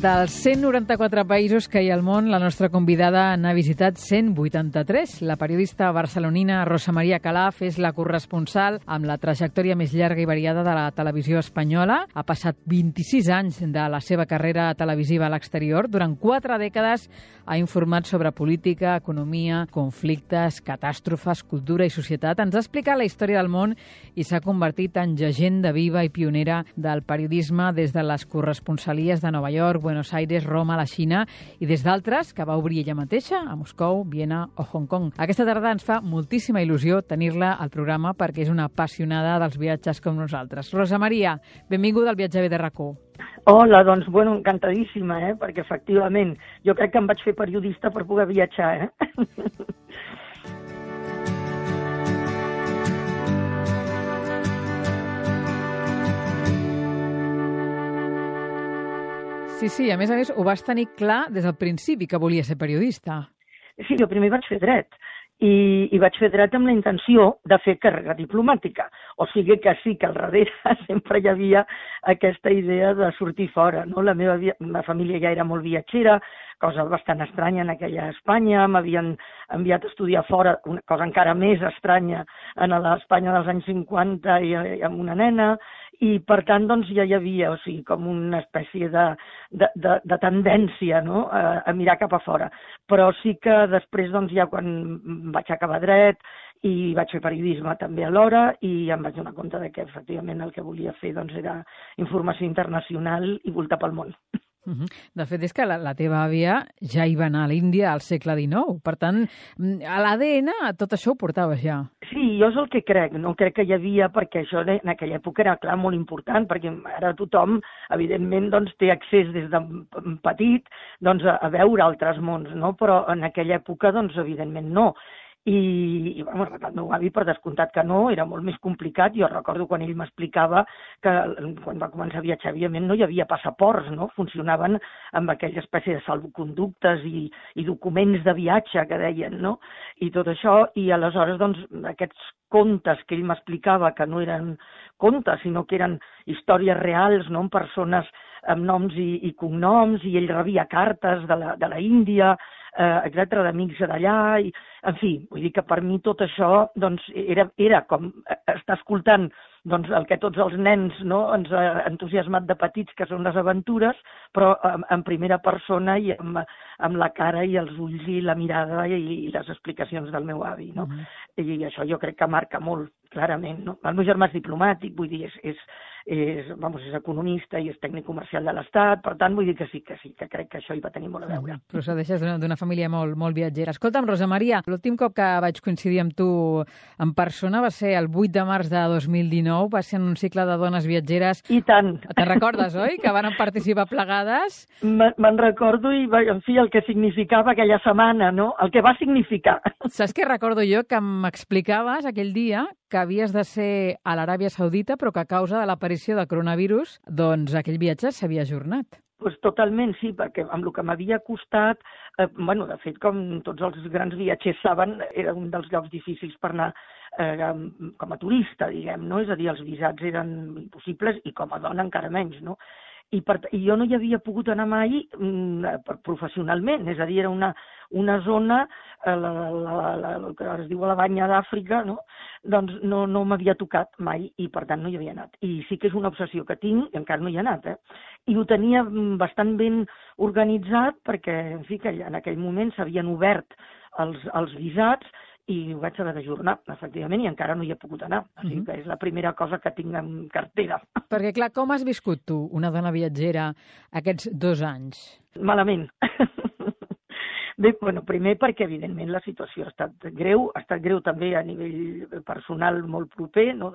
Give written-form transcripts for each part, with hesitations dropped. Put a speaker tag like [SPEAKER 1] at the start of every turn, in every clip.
[SPEAKER 1] Dels 194 països que hi ha al món, la nostra convidada n'ha visitat 183. La periodista barcelonina Rosa Maria Calaf és la corresponsal amb la trajectòria més llarga i variada de la televisió espanyola. Ha passat 26 anys de la seva carrera televisiva a l'exterior. Durant 4 dècades ha informat sobre política, economia, conflictes, catàstrofes, cultura i societat. Ens ha explicat la història del món i s'ha convertit en llegenda viva i pionera del periodisme des de les corresponsalies de Nova York, Buenos Aires, Roma, la Xina i des d'altres que va obrir ella mateixa a Moscou, Viena o Hong Kong. Aquesta tarda ens fa moltíssima il·lusió tenir-la al programa perquè és una apassionada dels viatges com nosaltres. Rosa Maria, benvinguda al Viatge de RAC1.
[SPEAKER 2] Hola, doncs, encantadíssima, perquè efectivament jo crec que em vaig fer periodista per poder viatjar,
[SPEAKER 1] Sí, a més, ho vas tenir clar des del principi que volia ser periodista.
[SPEAKER 2] Sí, jo primer vaig fer dret i vaig fer dret amb la intenció de fer carrera diplomàtica. O sigui que sí, que al darrere sempre hi havia aquesta idea de sortir fora, no? La meva família ja era molt viatgera, cosa bastant estranya en aquella Espanya, m'havien enviat a estudiar fora, una cosa encara més estranya en l'Espanya dels anys 50 i amb una nena, i per tant doncs ja hi havia, o sigui, com una espècie de tendència, no?, a mirar cap a fora. Però sí que després doncs ja quan vaig acabar dret i vaig fer periodisme també alhora i em vaig donar compte de que efectivament el que volia fer doncs era informació internacional i voltar pel món.
[SPEAKER 1] De fet, és que la teva àvia ja hi va anar a l'Índia al segle XIX. Per tant, a l'ADN tot això ho portaves ja.
[SPEAKER 2] Sí, jo és el que crec. No crec que hi havia, perquè això en aquella època era, clar, molt important, perquè ara tothom, evidentment, doncs, té accés des de petit doncs, a veure altres mons, no? Però en aquella època, doncs, evidentment, no. I el meu avi, per descomptat que no, era molt més complicat. Jo recordo quan ell m'explicava que quan va començar a viatjar, evidentment, no hi havia passaports, no? Funcionaven amb aquella espècie de salvoconductes i documents de viatge, que deien, no? I tot això, i aleshores, doncs, aquests contes que ell m'explicava, que no eren contes, sinó que eren històries reals, no?, amb persones amb noms i cognoms, i ell rebia cartes de la Índia, etcètera, d'amics d'allà, i en fi, vull dir que per mi tot això doncs, era com estar escoltant doncs, el que tots els nens, no, ens ha entusiasmat de petits, que són les aventures, però en primera persona i amb la cara i els ulls i la mirada i les explicacions del meu avi, no? I això jo crec que marca molt, clarament, no? El meu germà és diplomàtic, vull dir, és economista i és tècnic comercial de l'Estat, per tant, vull dir que sí, que crec que això hi va tenir molt a veure.
[SPEAKER 1] Procedeixes d'una família molt viatgera. Escolta'm, Rosa Maria, l'últim cop que vaig coincidir amb tu en persona va ser el 8 de març de 2019, va ser en un cicle de dones viatgeres.
[SPEAKER 2] I tant.
[SPEAKER 1] Te'n recordes, oi? Que van participar plegades?
[SPEAKER 2] Me'n recordo i, en fi, el que significava aquella setmana, no? El que va significar.
[SPEAKER 1] Saps què recordo jo? Que m'explicaves aquell dia que havies de ser a l'Aràbia Saudita, però que a causa de l'aparició del coronavirus, doncs aquell viatge s'havia ajornat.
[SPEAKER 2] Pues totalment, sí, perquè amb el que m'havia costat, de fet, com tots els grans viatgers saben, era un dels llocs difícils per anar com a turista, diguem, no? És a dir, els visats eren impossibles i com a dona encara menys, no? I jo no hi havia pogut anar mai professionalment, és a dir, era una zona, el que es diu la Banya d'Àfrica, no? Doncs no m'havia tocat mai i per tant no hi havia anat. I sí que és una obsessió que tinc i encara no hi he anat, I ho tenia bastant ben organitzat perquè, en fi, que en aquell moment s'havien obert els visats i ho vaig haver d'ajornar, efectivament, i encara no hi he pogut anar. O sigui que és la primera cosa que tinc en cartera.
[SPEAKER 1] Perquè, clar, com has viscut tu, una dona viatgera, aquests 2 anys?
[SPEAKER 2] Malament. Bé, primer perquè, evidentment, la situació ha estat greu també a nivell personal molt proper, no?,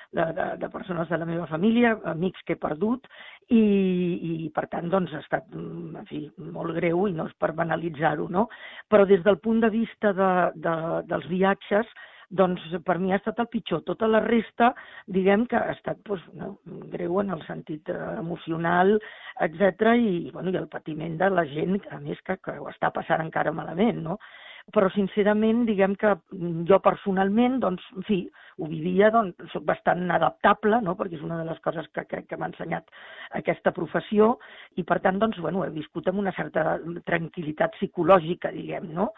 [SPEAKER 2] de persones de la meva família, amics que he perdut, i per tant, doncs, ha estat, en fi, molt greu i no és per banalitzar-ho, no? Però des del punt de vista dels viatges, doncs per mi ha estat el pitjor. Tota la resta, diguem que ha estat greu en el sentit emocional, etc. I el patiment de la gent, a més, que ho està passant encara malament, no? però sincerament diguem que jo personalment, doncs, en fi, ho vivia, doncs, soc bastant adaptable, no?, perquè és una de les coses que crec que m'ha ensenyat aquesta professió, i per tant, doncs, bueno, he viscut amb una certa tranquil·litat psicològica, diguem, no?,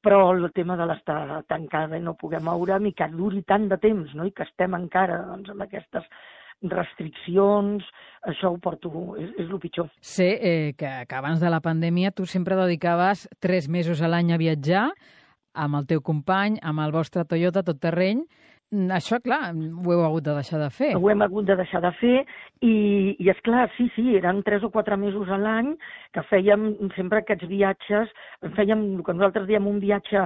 [SPEAKER 2] però el tema de l'estar tancada i no poder moure'm i que duri tant de temps, no?, i que estem encara, doncs, amb aquestes restriccions, això ho porto, és el pitjor.
[SPEAKER 1] Sé que abans de la pandèmia tu sempre dedicaves 3 mesos a l'any a viatjar amb el teu company, amb el vostre Toyota tot terreny. Això, clar, ho heu hagut de deixar de fer.
[SPEAKER 2] Ho hem hagut de deixar de fer i esclar, sí, eren 3 o 4 mesos a l'any que fèiem sempre aquests viatges, fèiem el que nosaltres diem un viatge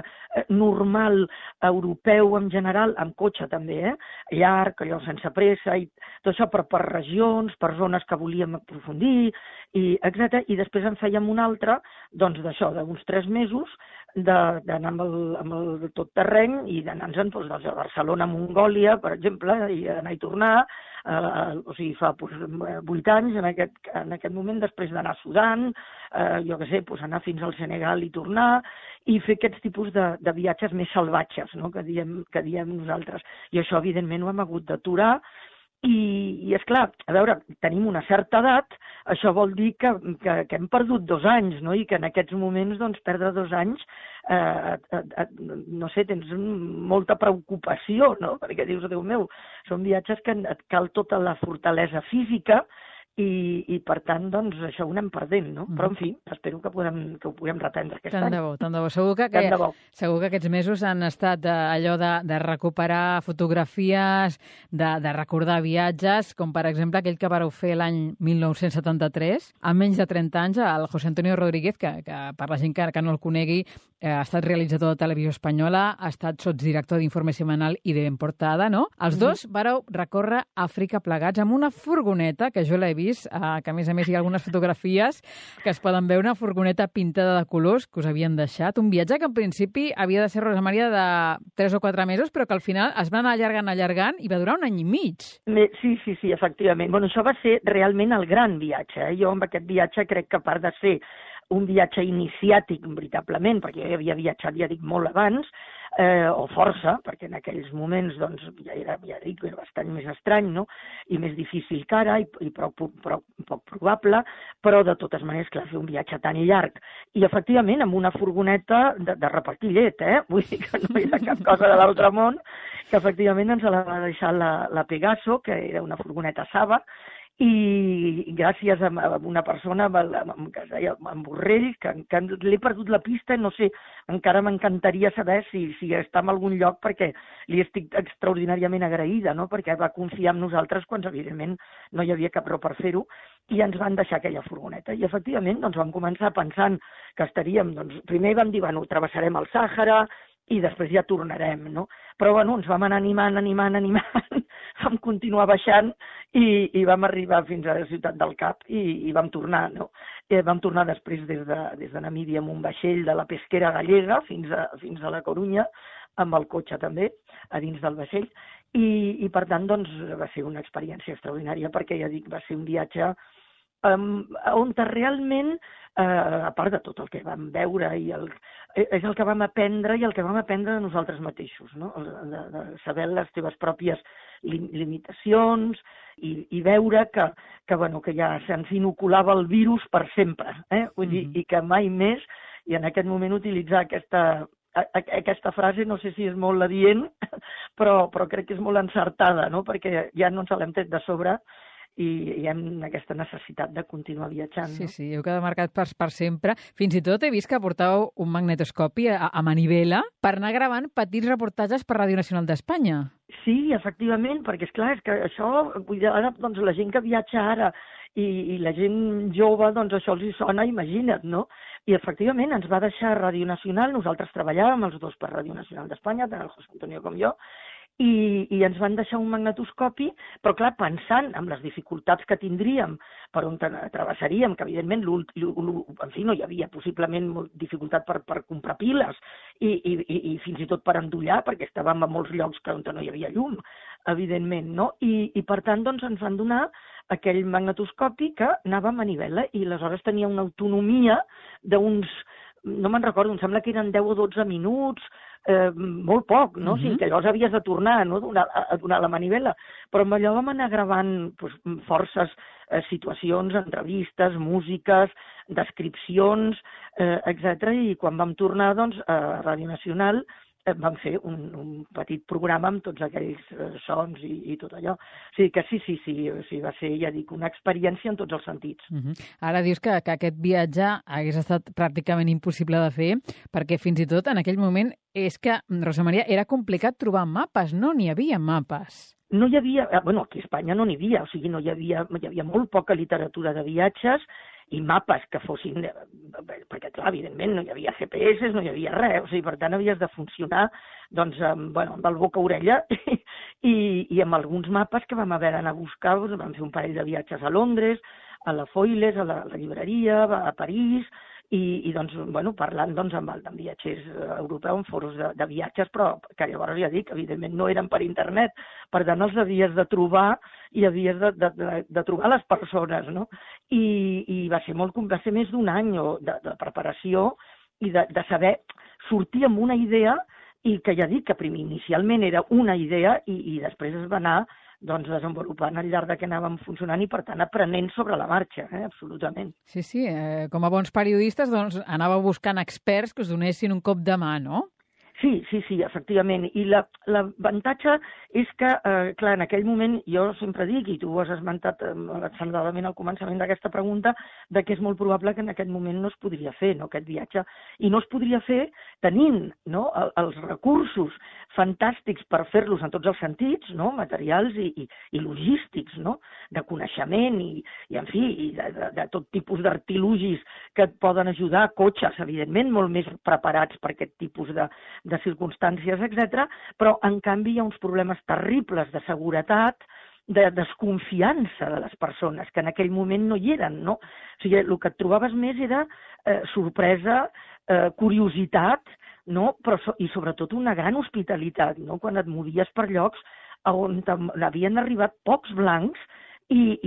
[SPEAKER 2] normal, europeu en general, amb cotxe també, llarg, allò sense pressa, i tot això per regions, per zones que volíem aprofundir, etc. I després en fèiem un altre, doncs d'això, d'uns 3 mesos, d'anar amb el tot terreny i d'anar-nos doncs, a Barcelona, Mongòlia, per exemple, i anar i tornar, o sigui, fa 8 anys, en aquest moment, després d'anar a Sudan, jo què sé, anar fins al Senegal i tornar, i fer aquests tipus de viatges més salvatges, no?, que diem nosaltres. I això, evidentment, ho hem hagut d'aturar. I esclar, a veure, tenim una certa edat, això vol dir que hem perdut 2 anys, no?, i que en aquests moments, doncs, perdre 2 anys, no sé, tens molta preocupació, no?, perquè dius, Déu meu, són viatges que et cal tota la fortalesa física i per tant, doncs, això ho anem perdent, no? Però, en fi, espero que ho puguem reprendre aquest any.
[SPEAKER 1] Tant de bo. Segur que aquests mesos han estat allò de recuperar fotografies, de recordar viatges, com per exemple aquell que vareu fer l'any 1973, amb menys de 30 anys, el José Antonio Rodríguez, que per la gent que no el conegui, ha estat realitzador de Televisió Espanyola, ha estat sotsdirector d'Informe Semanal i de Ben Portada, no? Els dos vareu recórrer Àfrica plegats amb una furgoneta, que jo l'he vist, que a més hi ha algunes fotografies que es poden veure, una furgoneta pintada de colors que us havien deixat. Un viatge que en principi havia de ser, Rosa Maria, de 3 o 4 mesos, però que al final es va anar allargant i va durar 1 any i mig.
[SPEAKER 2] Sí, efectivament. Bueno, això va ser realment el gran viatge. Jo amb aquest viatge crec que a part de ser un viatge iniciàtic, veritablement, perquè jo havia viatjat, ja dic, molt abans, o força, perquè en aquells moments doncs, ja era bastant més estrany, no?, i més difícil que ara, i prou poc probable, però de totes maneres, clar, fer un viatge tan llarg. I efectivament, amb una furgoneta de repartir llet, vull dir que no era cap cosa de l'altre món, que efectivament ens la va deixar la Pegaso, que era una furgoneta Saba, i gràcies a una persona que es deia en Borrell, que l'he perdut la pista, no sé, encara m'encantaria saber si està en algun lloc, perquè li estic extraordinàriament agraïda, no?, perquè va confiar en nosaltres quan, evidentment, no hi havia cap raó per fer-ho, i ens van deixar aquella furgoneta. I, efectivament, doncs, vam començar pensant que estaríem, doncs, primer vam dir, bueno, travessarem el Sàhara, i després ja tornarem, no? Però, bueno, ens vam anar animant, vam continuar baixant i vam arribar fins a la ciutat del Cap i vam tornar, no? Vam tornar després des de Namíbia amb un vaixell de la pesquera gallega fins a la Corunya, amb el cotxe també, a dins del vaixell, i per tant, doncs, va ser una experiència extraordinària, perquè ja dic, va ser un viatge on realment, a part de tot el que vam veure, és el que vam aprendre i el que vam aprendre de nosaltres mateixos, no?, de saber les teves pròpies limitacions i veure que ja se'ns inoculava el virus per sempre, vull dir, i que mai més, i en aquest moment utilitzar aquesta frase, no sé si és molt adient, però crec que és molt encertada, no?, perquè ja no ens l'hem tret de sobre, i hi ha aquesta necessitat de continuar viatjant.
[SPEAKER 1] Sí, heu quedat marcat per sempre. Fins i tot he vist que portàveu un magnetoscopi a manivela per anar gravant petits reportatges per Ràdio Nacional d'Espanya.
[SPEAKER 2] Sí, efectivament, perquè esclar, és que això, ara, doncs, la gent que viatja ara i la gent jove, doncs això els hi sona, imagina't, no? I efectivament ens va deixar Ràdio Nacional, nosaltres treballàvem els dos per Ràdio Nacional d'Espanya, tant el José Antonio com jo, i ens van deixar un magnetoscopi, però clar, pensant en les dificultats que tindríem, per on travessaríem, que evidentment en fi, no hi havia possiblement dificultat per comprar piles i fins i tot per endollar, perquè estàvem a molts llocs on no hi havia llum, evidentment, no? I per tant, doncs, ens van donar aquell magnetoscopi que anava a manivela i aleshores tenia una autonomia d'uns no me'n recordo, em sembla que eren 10 o 12 minuts, molt poc, no? O sigui, que llavors havies de tornar, no?, a donar la manivela. Però amb allò vam anar gravant forces situacions, entrevistes, músiques, descripcions, etc. I quan vam tornar, doncs, a Ràdio Nacional, vam fer un petit programa amb tots aquells sons i tot allò. O sigui que sí, o sigui, va ser, ja dic, una experiència en tots els sentits.
[SPEAKER 1] Ara dius que aquest viatge hagués estat pràcticament impossible de fer, perquè fins i tot en aquell moment és que, Rosa Maria, era complicat trobar mapes, no n'hi havia mapes.
[SPEAKER 2] No hi havia, bueno, aquí a Espanya no n'hi havia, o sigui, hi havia molt poca literatura de viatges i mapes que fossin, perquè clar, evidentment no hi havia GPS, no hi havia res, o sigui, per tant havies de funcionar doncs, amb el boca-orella i amb alguns mapes que vam haver d'anar a buscar, doncs, vam fer un parell de viatges a Londres, a la Foiles, a la llibreria, a París, i doncs, bueno, parlant doncs, amb viatgers europeus en foros de viatges, però que llavors ja dic, evidentment no eren per internet, per tant els havies de trobar i havies de trobar les persones, no? I va ser més d'un any de preparació i de saber sortir amb una idea i que ja dic que inicialment era una idea i després es va anar doncs desenvolupant al llarg de que anàvem funcionant i, per tant, aprenent sobre la marxa, absolutament.
[SPEAKER 1] Sí, com a bons periodistes, doncs, anàveu buscant experts que us donessin un cop de mà, no?
[SPEAKER 2] Sí, efectivament. I l'avantatge és que, clar, en aquell moment jo sempre dic, i tu ho has esmentat acceleradament al començament d'aquesta pregunta, de que és molt probable que en aquest moment no es podria fer, no, aquest viatge. I no es podria fer tenint, no, els recursos fantàstics per fer-los en tots els sentits, no, materials i logístics, no, de coneixement i en fi, de tot tipus d'artilugis que et poden ajudar, cotxes, evidentment, molt més preparats per aquest tipus de circumstàncies, etc. Però, en canvi, hi ha uns problemes terribles de seguretat, de desconfiança de les persones, que en aquell moment no hi eren, no? O sigui, el que et trobaves més era sorpresa, curiositat, no? Però, i sobretot una gran hospitalitat, no? Quan et movies per llocs on havien arribat pocs blancs i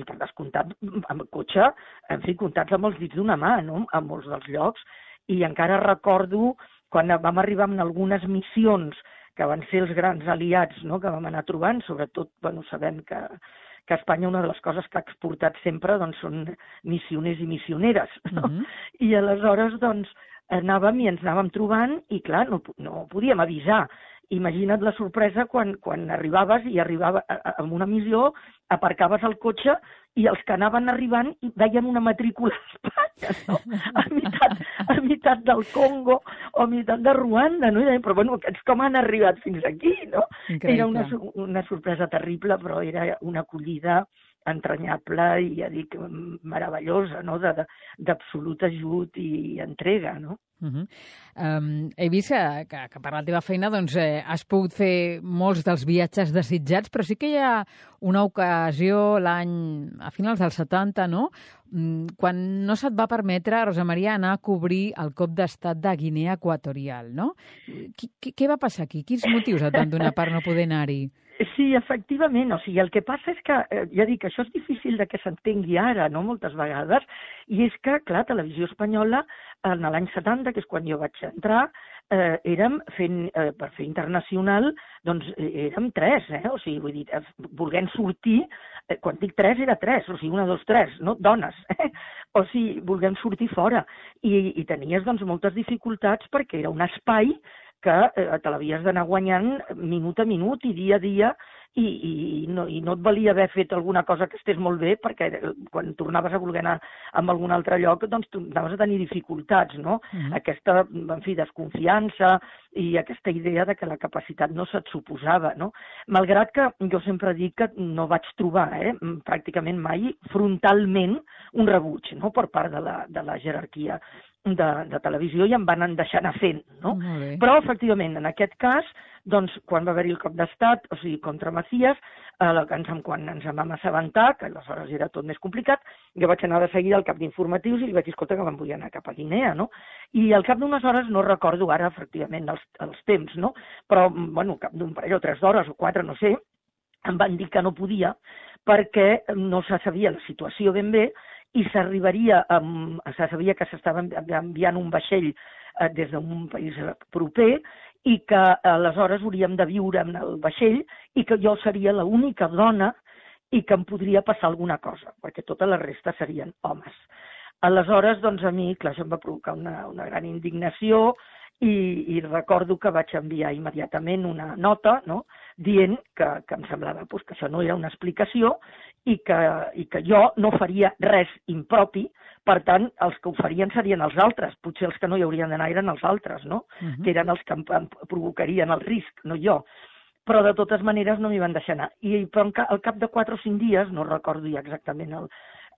[SPEAKER 2] per descomptat, amb el cotxe, en fi, comptats amb els dits d'una mà, no?, a molts dels llocs. I encara recordo quan vam arribar en algunes missions que van ser els grans aliats, no?, que vam anar trobant, sobretot, bueno, sabem que Espanya una de les coses que ha exportat sempre doncs, són missioners i missioneres, no? I aleshores doncs, anàvem i ens anàvem trobant i, clar, no podíem avisar. Imagina't la sorpresa quan arribaves i arribava en una missió, aparcaves el cotxe i els que anaven arribant veien una matrícula a Espanya, no? A meitat del Congo o a meitat de Ruanda, no? I deien, però bueno, aquests com han arribat fins aquí, no?
[SPEAKER 1] Increïble.
[SPEAKER 2] Era una sorpresa terrible, però era una acollida entranyable i, ja dic, meravellosa, no?, d'absolut ajut i entrega, no?
[SPEAKER 1] He vist que per la teva feina doncs, has pogut fer molts dels viatges desitjats, però sí que hi ha una ocasió a finals dels 70, no?, quan no se't va permetre, Rosa Maria, anar a cobrir el cop d'estat de Guinea Equatorial, no? Què va passar aquí? Quins motius et van donar per no poder anar-hi?
[SPEAKER 2] Sí, efectivament. O sigui, el que passa és que, ja dic, això és difícil de que s'entengui ara, no?, moltes vegades, i és que, clar, Televisió Espanyola, en l'any 70, que és quan jo vaig entrar, érem per fer internacional, doncs érem 3, o sigui, vull dir, volent sortir, quan dic 3 era 3, o sigui, 1, 2, 3, no? Dones, o sigui, volent sortir fora. I tenies, doncs, moltes dificultats perquè era un espai que te l'havies d'anar guanyant minut a minut i dia a dia i no et valia haver fet alguna cosa que estés molt bé perquè quan tornaves a voler anar a algun altre lloc doncs anaves a tenir dificultats, no? Aquesta, en fi, desconfiança i aquesta idea de que la capacitat no se't suposava, no? Malgrat que jo sempre dic que no vaig trobar pràcticament mai frontalment un rebuig, no?, per part de la jerarquia de televisió i em van deixar anar fent, no? Però, efectivament, en aquest cas, doncs, quan va haver-hi el cop d'estat, o sigui, contra Macías, quan ens en vam assabentar, que aleshores era tot més complicat, jo vaig anar de seguida al cap d'informatius i li vaig dir, escolta, que me'n vull anar cap a Guinea, no? I al cap d'unes hores, no recordo ara, efectivament, els temps, no? Però, bueno, al cap d'un parell o 3 d'hores o 4, no sé, em van dir que no podia perquè no se sabia la situació ben bé i s'arribaria, se sabia que s'estava enviant un vaixell des d'un país proper i que aleshores hauríem de viure en el vaixell i que jo seria l'única dona i que em podria passar alguna cosa, perquè tota la resta serien homes. Aleshores, doncs a mi, clar, això em va provocar una gran indignació i recordo que vaig enviar immediatament una nota, no?, dient que em semblava que això no era una explicació i que jo no faria res impropi, per tant, els que ho farien serien els altres, potser els que no hi haurien d'anar eren els altres, no?, que eren els que em provocarien el risc, no jo. Però de totes maneres no m'hi van deixar anar. Però al cap de 4 o 5 dies, no recordo ja exactament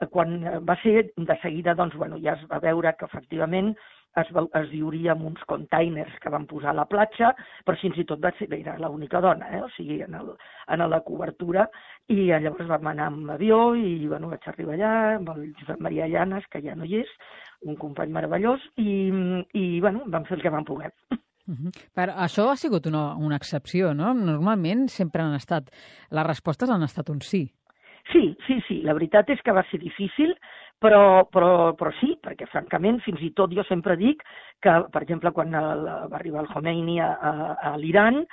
[SPEAKER 2] quan va ser, de seguida, doncs, ja es va veure que efectivament es viuria en uns containers que van posar a la platja, però fins i tot era l'única dona, o sigui, en la cobertura, i llavors vam anar amb avió i vaig arribar allà amb el Josep Maria Llanes, que ja no hi és, un company meravellós, i vam fer el que vam poder.
[SPEAKER 1] Però això ha sigut una excepció, no? Normalment sempre les respostes han estat un sí.
[SPEAKER 2] Sí, la veritat és que va ser difícil, però sí, perquè francament, fins i tot jo sempre dic que, per exemple, quan va arribar el Khomeini a l'Iran,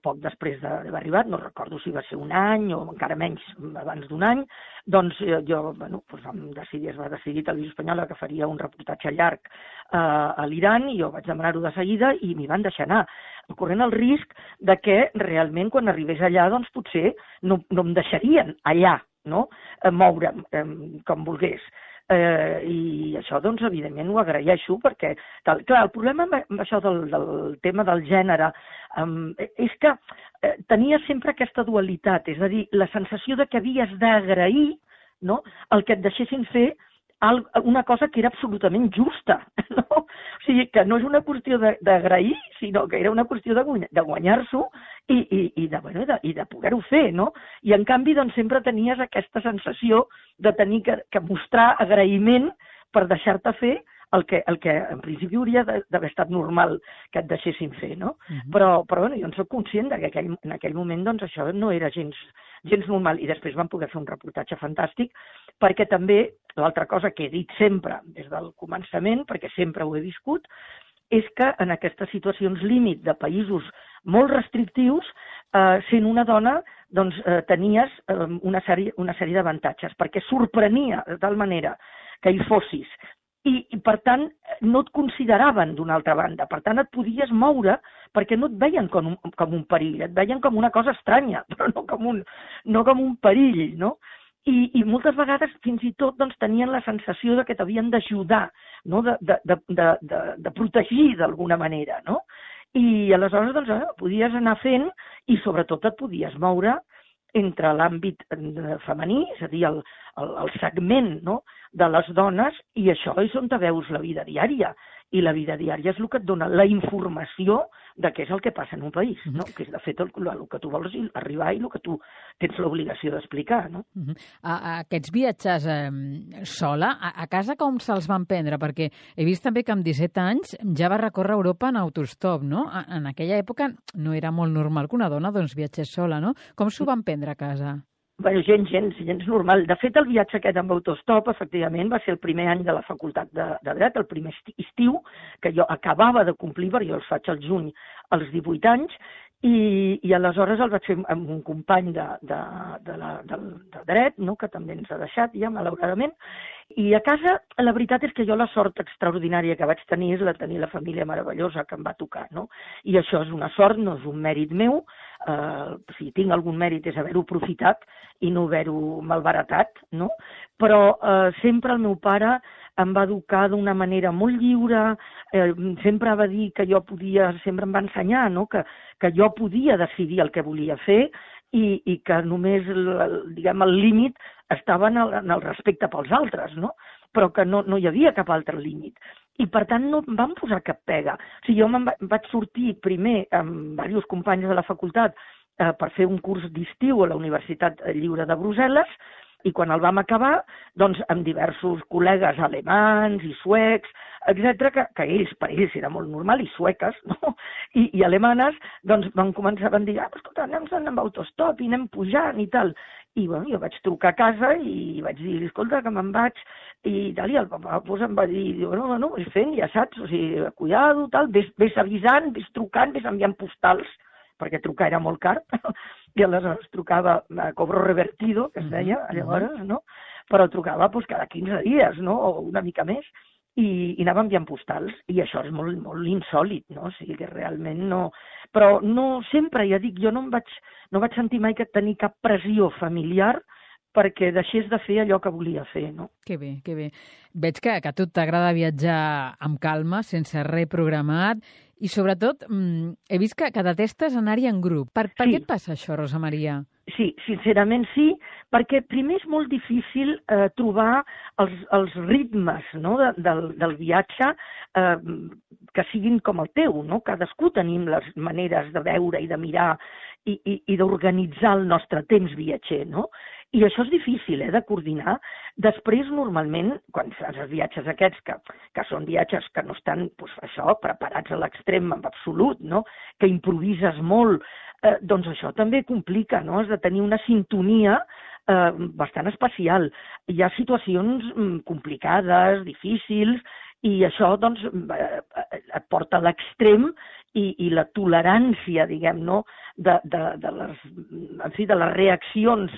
[SPEAKER 2] poc després d'haver arribat, no recordo si va ser un any o encara menys abans d'un any, doncs jo, es va decidir Televisió Espanyola que faria un reportatge llarg a l'Iran i jo vaig demanar-ho de seguida i m'hi van deixar anar, corrent el risc de que realment quan arribés allà doncs potser no em deixarien allà, no?, moure'm com volgués. I això, doncs, evidentment ho agraeixo perquè, clar, el problema amb això del tema del gènere és que tenia sempre aquesta dualitat, és a dir, la sensació de que havies d'agrair, no?, el que et deixessin fer una cosa que era absolutament justa, no? O sigui, que no és una qüestió d'agrair, sinó que era una qüestió de guanyar-s'ho i de poder-ho fer, no? I en canvi, doncs, sempre tenies aquesta sensació de tenir que mostrar agraïment per deixar-te fer el que en principi hauria d'haver estat normal que et deixessin fer, no? Però jo en soc conscient que en aquell moment doncs, això no era gens normal i després vam poder fer un reportatge fantàstic perquè també, l'altra cosa que he dit sempre des del començament, perquè sempre ho he viscut, és que en aquestes situacions límit de països molt restrictius, sent una dona, doncs tenies una sèrie d'avantatges, perquè sorprenia de tal manera que hi fossis i per tant no et consideraven d'una altra banda, per tant et podies moure perquè no et veien com un perill, et veien com una cosa estranya, però no com un perill, no? I moltes vegades fins i tot doncs, tenien la sensació de que t'havien d'ajudar, no? de protegir d'alguna manera, no? I aleshores doncs, podies anar fent i sobretot et podies moure entre l'àmbit femení, és a dir, el segment, no?, de les dones, i això és on te veus la vida diària. I la vida diària és el que et dona la informació de què és el que passa en un país, no? Que és, de fet, el que tu vols arribar i el que tu tens l'obligació d'explicar, no?
[SPEAKER 1] Aquests viatges sola, a casa com se'ls van prendre? Perquè he vist també que amb 17 anys ja va recórrer Europa en autostop, no? En aquella època no era molt normal que una dona doncs, viatgés sola, no? Com s'ho van prendre a casa?
[SPEAKER 2] Bé, gens normal. De fet, el viatge aquest amb autostop, efectivament, va ser el primer any de la facultat de Dret, el primer estiu, que jo acabava de complir, perquè jo els faig al juny als 18 anys, i aleshores el vaig fer amb un company de Dret, no?, que també ens ha deixat ja, malauradament, i a casa la veritat és que jo la sort extraordinària que vaig tenir és la tenir la família meravellosa que em va tocar, no? I això és una sort, no és un mèrit meu, si tinc algun mèrit és haver-ho aprofitat i no haver-ho malbaratat, no? Però sempre el meu pare em va educar d'una manera molt lliure, sempre va dir que jo podia, sempre em va ensenyar, no?, que jo podia decidir el que volia fer i que només, diguem, el límit estava en el respecte pels altres, no? Però que no hi havia cap altre límit. I, per tant, no em van posar cap pega. O sigui, jo vaig sortir primer amb diversos companys de la facultat per fer un curs d'estiu a la Universitat Lliure de Brussel·les, i quan el vam acabar, doncs, amb diversos col·legues alemans i suecs, etc., que per ells era molt normal, i sueques, no?, i alemanes, doncs van dir, escolta, anem amb autostop i anem pujant i tal. I, jo vaig trucar a casa i vaig dir, escolta, que me'n vaig, i tal, i el papa pues, em va dir, bueno, vas fent, ja saps, o sigui, cuidado, tal, ves avisant, ves trucant, ves enviant postals, perquè trucar era molt car, i aleshores trucava a cobro revertido, que es deia, llavors, no? Però trucava pues, cada 15 dies, no? O una mica més, i anava enviant postals, i això és molt, molt insòlit, no? O sigui que realment no... Però no sempre, ja dic, jo no vaig sentir mai que tenir cap pressió familiar perquè deixés de fer allò que volia fer, no?
[SPEAKER 1] Que bé, que bé. Veig que a tu t'agrada viatjar amb calma, sense res programat, i sobretot he vist que detestes anar-hi en grup. Per què et passa això, Rosa Maria?
[SPEAKER 2] Sí, sincerament sí, perquè primer és molt difícil trobar els ritmes, no, del viatge que siguin com el teu, no? Cadascú tenim les maneres de veure i de mirar i d'organitzar el nostre temps viatger, no? I això és difícil, de coordinar. Després, normalment, quan fas els viatges aquests, que són viatges que no estan, doncs, això, preparats a l'extrem en absolut, no? Que improvises molt, doncs això també complica, no? Has de tenir una sintonia bastant especial. Hi ha situacions complicades, difícils, i això doncs, et porta a l'extrem i la tolerància, diguem, no? de les reaccions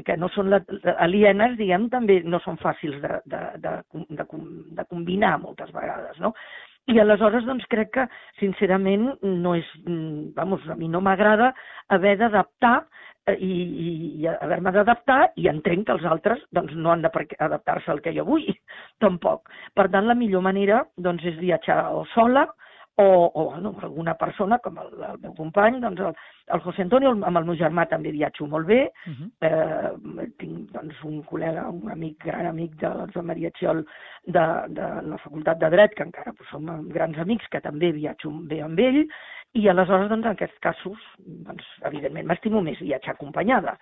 [SPEAKER 2] que no són alienes, diguem, també no són fàcils de combinar moltes vegades, no? I aleshores doncs, crec que, sincerament, no és, a mi no m'agrada haver d'adaptar i haver-me d'adaptar i entenc que els altres doncs, no han d'adaptar-se al que jo vull, tampoc. Per tant, la millor manera doncs, és viatjar o sola o alguna persona, com el meu company, doncs, el José Antonio, amb el meu germà també viatjo molt bé. Tinc doncs, un col·lega, un amic, gran amic de Maria Txiol de la Facultat de Dret, que encara som grans amics, que també viatjo bé amb ell, i aleshores, doncs, en aquests casos, doncs, evidentment, m'estimo més viatjar acompanyada,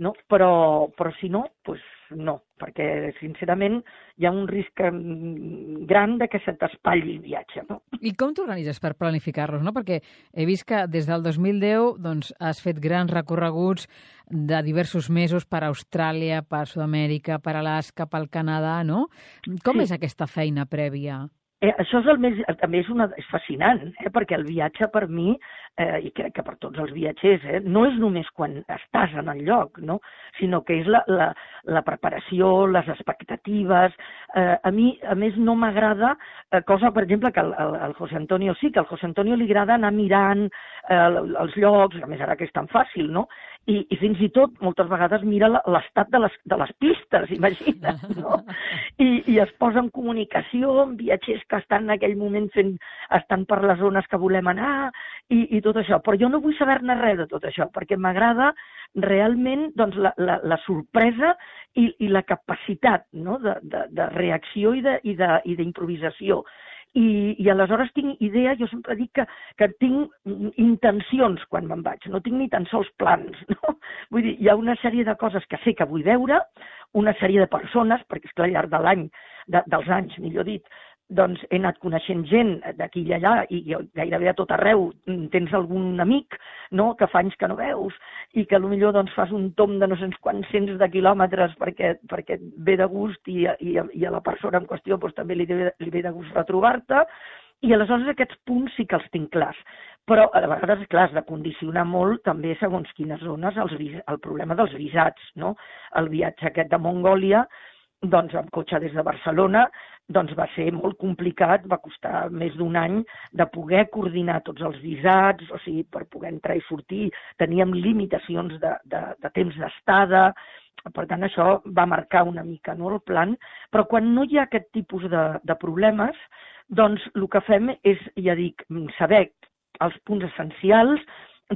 [SPEAKER 2] no? Però si no, doncs no, perquè, sincerament, hi ha un risc gran de que se t'espatlli el viatge, no?
[SPEAKER 1] I com t'organitzes per planificar-los, no? Perquè he vist que des del 2010 doncs, has fet grans recorreguts de diversos mesos per Austràlia, per Sud-amèrica, per Alaska, pel Canadà, no? Com és aquesta feina prèvia?
[SPEAKER 2] Això és també és fascinant, perquè el viatge per mi, i crec que per tots els viatgers, no és només quan estàs en el lloc, no? Sinó que és la preparació, les expectatives. A mi, a més, no m'agrada, cosa, per exemple, que al José Antonio sí, que al José Antonio li agrada anar mirant els llocs, a més ara que és tan fàcil, no? I fins i tot, moltes vegades, mira l'estat de les pistes, imagina't, no? I es posa en comunicació amb viatgers que estan en aquell moment estan per les zones que volem anar i tot això. Però jo no vull saber-ne res de tot això, perquè m'agrada realment doncs, la sorpresa i la capacitat, no? de reacció i d'improvisació. I aleshores tinc idea, jo sempre dic que tinc intencions quan me'n vaig, no tinc ni tan sols plans, no? Vull dir, hi ha una sèrie de coses que sé que vull veure, una sèrie de persones, perquè esclar, al llarg de l'any, dels anys, millor dit, doncs he anat coneixent gent d'aquí i allà i gairebé a tot arreu tens algun amic, no?, que fa anys que no veus i que potser doncs, fas un tomb de no sé quants cents de quilòmetres perquè et ve de gust i a la persona en qüestió doncs, també li ve de gust retrobar-te i aleshores aquests punts sí que els tinc clars. Però a vegades, clar, has de condicionar molt també segons quines zones el problema dels visats, no? El viatge aquest de Mongòlia, doncs amb cotxe des de Barcelona, doncs va ser molt complicat, va costar més d'un any de poder coordinar tots els visats, o sigui, per poder entrar i sortir, teníem limitacions de temps d'estada, per tant això va marcar una mica, no, el plan, però quan no hi ha aquest tipus de problemes, doncs el que fem és, ja dic, saber els punts essencials,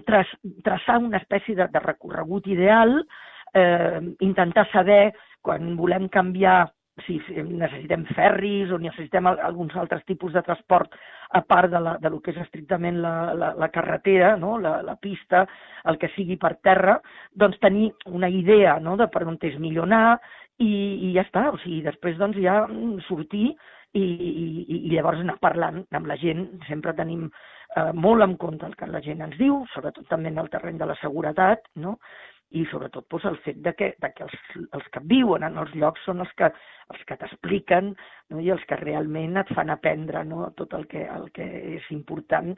[SPEAKER 2] traçar una espècie de recorregut ideal, intentar saber quan volem canviar si necessitem ferris o necessitem alguns altres tipus de transport a part de lo que és estrictament la carretera, no? la pista, el que sigui per terra, doncs tenir una idea, no?, de per on és millor anar i ja està. O sigui, després doncs ja sortir i llavors anar parlant amb la gent. Sempre tenim molt en compte el que la gent ens diu, sobretot també en el terreny de la seguretat, no? i sobretot doncs, el fet de que els que viuen en els llocs són els que t'expliquen, no? I els que realment et fan aprendre, no? Tot el que és important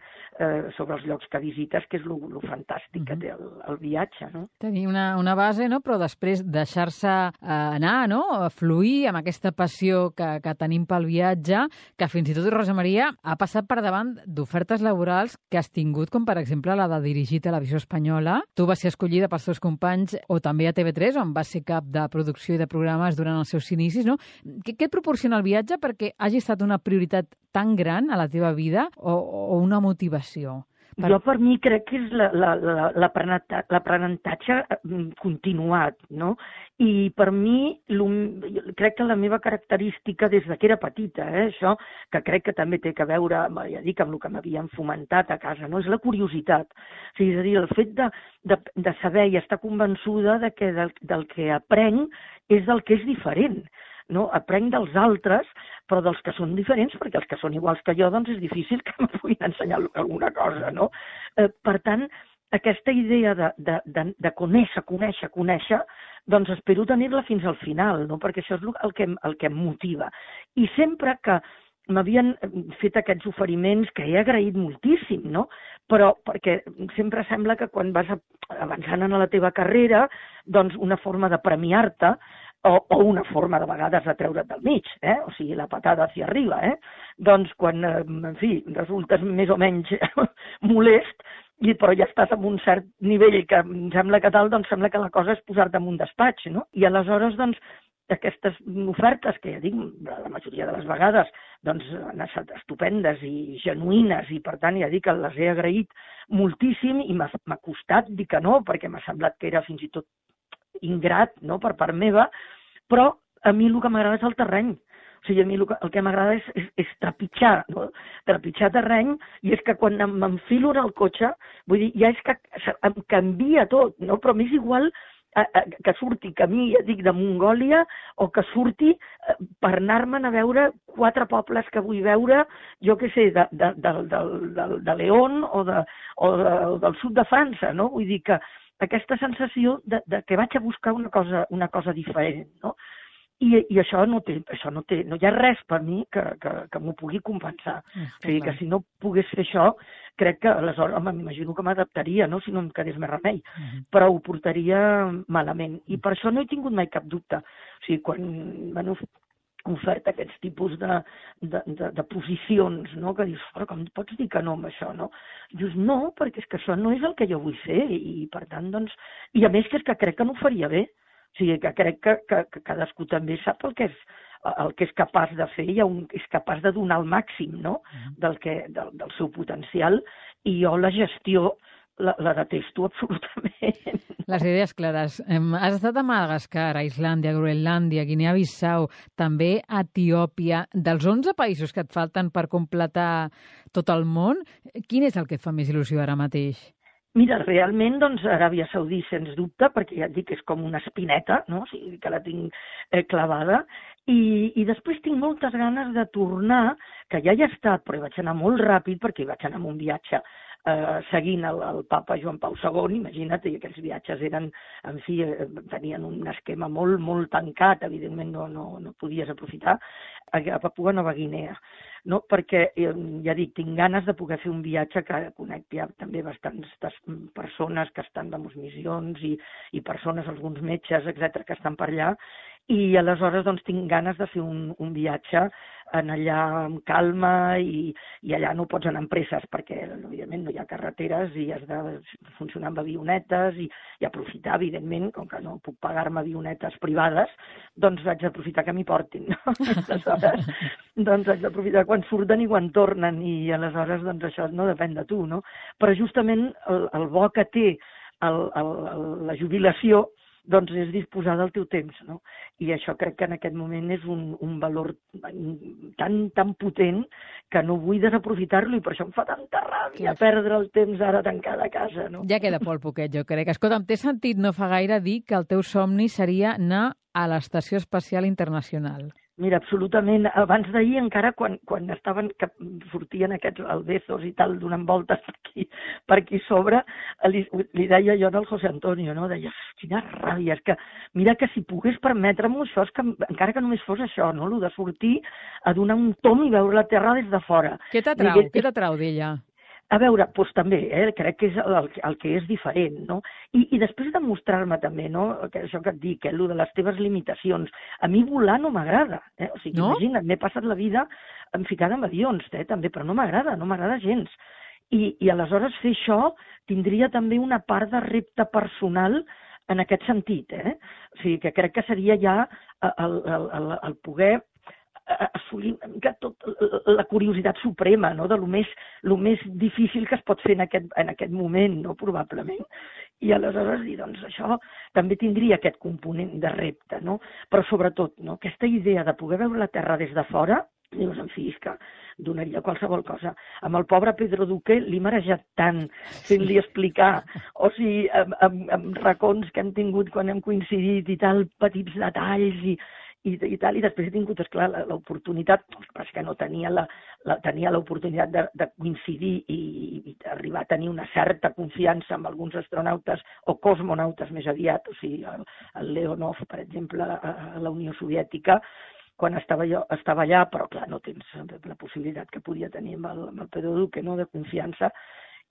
[SPEAKER 2] sobre els llocs que visites, que és lo fantàstic que té el viatge. No?
[SPEAKER 1] Tenir una base, no? Però després deixar-se anar, no? Fluir amb aquesta passió que tenim pel viatge, que fins i tot Rosa Maria ha passat per davant d'ofertes laborals que has tingut, com per exemple la de dirigir Televisió Espanyola. Tu vas ser escollida pels teus companys, o també a TV3, on vas ser cap de producció i de programes durant els seus inicis, no? Què et proporciona el viatge perquè hagi estat una prioritat tan gran a la teva vida o una motivació?
[SPEAKER 2] Jo per mi crec que és l'aprenentatge continuat, no? I per mi crec que la meva característica des que era petita, això, que crec que també té a veure, ja dic, amb el que m'havien fomentat a casa, no? És la curiositat. O sigui, és a dir, el fet de saber i estar convençuda de que del que aprenc és del que és diferent. No? Aprenc dels altres, però dels que són diferents, perquè els que són iguals que jo, doncs és difícil que em puguin ensenyar alguna cosa, no? Per tant, aquesta idea de conèixer, doncs espero tenir-la fins al final, no? Perquè això és el que em motiva. I sempre que m'havien fet aquests oferiments, que he agraït moltíssim, no? Però perquè sempre sembla que quan vas avançant en la teva carrera, doncs una forma de premiar-te, o una forma de vegades de treure't del mig, o sigui, la patada hacia arriba, doncs quan, en fi, resultes més o menys molest, però ja estàs en un cert nivell que em sembla que tal, doncs sembla que la cosa és posar-te en un despatx, no? I aleshores, doncs, aquestes ofertes, que ja dic, la majoria de les vegades, doncs han estat estupendes i genuïnes, i per tant, ja dic que les he agraït moltíssim, i m'ha costat dir que no, perquè m'ha semblat que era fins i tot ingrat, no?, per part meva, però a mi el que m'agrada és el terreny. O sigui, a mi el que m'agrada és trepitjar, no? Trepitjar terreny, i és que quan m'enfilo en el cotxe, vull dir, ja és que em canvia tot, no? Però m'és igual que surti camí, ja dic, de Mongòlia, o que surti per anar-me'n a veure 4 pobles que vull veure, jo què sé, de León o del sud de França, no? Vull dir que aquesta sensació de que vaig a buscar una cosa diferent, no? I això no hi ha res per mi que m'ho pugui compensar. O sigui, que si no pogués fer això, crec que aleshores, m'imagino que m'adaptaria, no?, si no em quedés més remei, però ho portaria malament. I per això no he tingut mai cap dubte. O sigui, quan m'han ofert aquests tipus de posicions, no?, que dius, però com pots dir que no amb això, no? Dius, no, perquè és que això no és el que jo vull fer, i per tant, doncs... I a més que és que crec que no ho faria bé. O sigui, que crec que cadascú també sap el que és capaç de fer i és capaç de donar el màxim, no?, del seu potencial, i jo la gestió la detesto absolutament.
[SPEAKER 1] Les idees clares. Has estat a Madagascar, a Islàndia, Groenlàndia, Guinea-Bissau, també a Etiòpia. Dels 11 països que et falten per completar tot el món, quin és el que et fa més il·lusió ara mateix?
[SPEAKER 2] Mira, realment, doncs, Aràbia Saudí, sens dubte, perquè ja et dic que és com una espineta, no? O sigui, que la tinc clavada, i després tinc moltes ganes de tornar, que ja hi he estat, però hi vaig anar molt ràpid, perquè hi vaig anar en un viatge seguint el papa Joan Pau II, imagina't, i aquells viatges eren, en fi, tenien un esquema molt, molt tancat, evidentment no podies aprofitar, a Papua Nova Guinea, no? Perquè, ja dic, tinc ganes de poder fer un viatge que conec ja també bastants persones que estan de missions i persones, alguns metges, etcètera, que estan per allà, i aleshores doncs tinc ganes de fer un viatge en allà amb calma, i allà no pots anar amb presses perquè evidentment no hi ha carreteres i has de funcionar amb avionetes i aprofitar, evidentment, com que no puc pagar-me avionetes privades, doncs haig d'aprofitar que m'hi portin, no? Aleshores, doncs haig d'aprofitar quan surten i quan tornen, i aleshores doncs això no depèn de tu, no? Però justament el bo que té la jubilació doncs és disposar del teu temps, no? I això crec que en aquest moment és un valor tan potent que no vull desaprofitar-lo, i per això em fa tanta ràbia perdre el temps ara tancada a casa, no?
[SPEAKER 1] Ja queda molt poquet, jo crec. Escolta'm, t'he sentit no fa gaire dir que el teu somni seria anar a l'Estació Espacial Internacional.
[SPEAKER 2] Mira, absolutament. Abans d'ahir, encara quan estaven, que sortien aquests albezos i tal, donant voltes per aquí sobre, li deia jo al José Antonio, no? Deia, quina ràbia, és que mira que si pogués permetre-m'ho això, és que encara que només fos això, no? Lo de sortir a donar un tom i veure la terra des de fora.
[SPEAKER 1] Què t'atrau d'ella?
[SPEAKER 2] A veure, doncs també, crec que és el que és diferent, no? I després de mostrar-me també, no? Que això que et dic, allò de les teves limitacions. A mi volar no m'agrada, O sigui,
[SPEAKER 1] no?
[SPEAKER 2] Imagina't, m'he passat la vida ficada en avions, també, però no m'agrada gens. I aleshores fer això tindria també una part de repte personal en aquest sentit, O sigui, que crec que seria ja el poder assolir una mica tot la curiositat suprema, no? De lo més difícil que es pot fer en aquest moment, no? Probablement. I aleshores dir, doncs això també tindria aquest component de repte, no? Però sobretot, no? Aquesta idea de poder veure la Terra des de fora, dius, en fi, és que donaria qualsevol cosa. Amb el pobre Pedro Duque l'he marejat tant fent-li explicar, o sigui, amb racons que hem tingut quan hem coincidit i tal, petits detalls i tal, i després he tingut, esclar, l'oportunitat, que no tenia l'oportunitat de coincidir i arribar a tenir una certa confiança amb alguns astronautes o cosmonautes més aviat, o sigui, el Leonov, per exemple, a la Unió Soviètica, quan estava allà, però clar, no tens la possibilitat que podia tenir amb el Pedro Duque, no?, de confiança,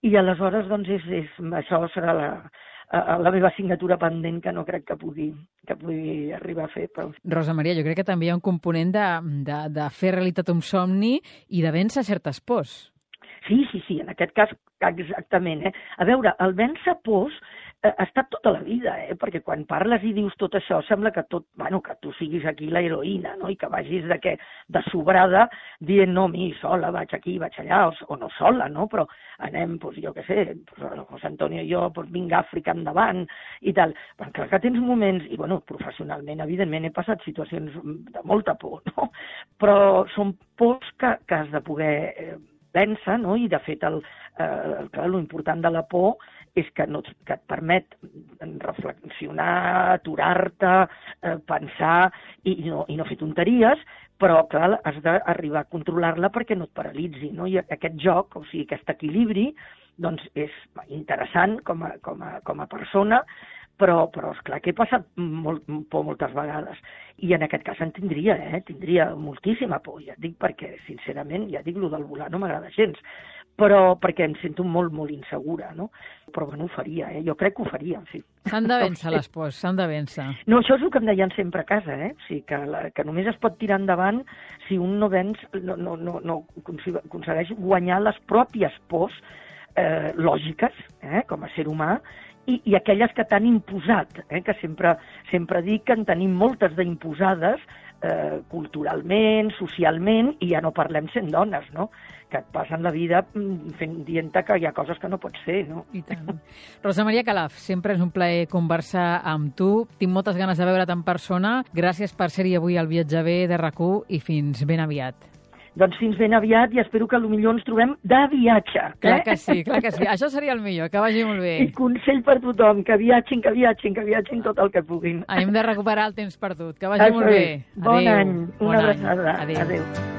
[SPEAKER 2] i aleshores, doncs, això serà la meva assignatura pendent que no crec que pugui arribar a fer. Però...
[SPEAKER 1] Rosa Maria, jo crec que també hi ha un component de fer realitat un somni i de vèncer certes pors.
[SPEAKER 2] Sí, en aquest cas, exactament. A veure, el vèncer pors ha estat tota la vida, perquè quan parles i dius tot això, sembla que que tu siguis aquí l'heroïna, no? I que vagis de sobrada dient, no, sola, vaig aquí, vaig allà, o no sola, no? Però anem, doncs, jo què sé, el José Antonio i jo, doncs, vinc a Àfrica endavant, i tal. Però clar que tens moments, i bueno, professionalment, evidentment, he passat situacions de molta por, no? Però són pors que has de poder vèncer, no? I de fet, clar, l'important de la por és que et permet reflexionar, aturar-te, pensar i no fer tonteries, però, clar, has d'arribar a controlar-la perquè no et paralitzi, no? I aquest joc, o sigui, aquest equilibri, doncs és interessant com a persona, però esclar que he passat por moltes vegades. I en aquest cas en tindria moltíssima por, ja et dic, perquè, sincerament, ja dic, el del volar no m'agrada gens, però perquè em sento molt, molt insegura, no? Però, bueno, ho faria, jo crec que ho faria, sí.
[SPEAKER 1] S'han de vèncer les pors, s'han de vèncer.
[SPEAKER 2] No, això és el que em deien sempre a casa, O sigui, que només es pot tirar endavant si un no aconsegueix guanyar les pròpies pors lògiques, com a ser humà, i aquelles que t'han imposat, que sempre dic que en tenim moltes d'imposades culturalment, socialment, i ja no parlem sent dones, no? Que et passen la vida dient-te que hi ha coses que no pots fer, no?
[SPEAKER 1] I tant. Rosa Maria Calaf, sempre és un plaer conversar amb tu. Tinc moltes ganes de veure't en persona. Gràcies per ser-hi avui al Viatjaver de RAC1 i fins ben aviat.
[SPEAKER 2] Doncs fins ben aviat i espero que potser ens trobem de viatge.
[SPEAKER 1] Clar que sí, clar que sí. Això seria el millor, que vagi molt bé.
[SPEAKER 2] I consell per tothom, que viatgin tot el que puguin.
[SPEAKER 1] Hem de recuperar el temps perdut. Que vagi molt bé.
[SPEAKER 2] Bon any, una abraçada.
[SPEAKER 1] Adéu.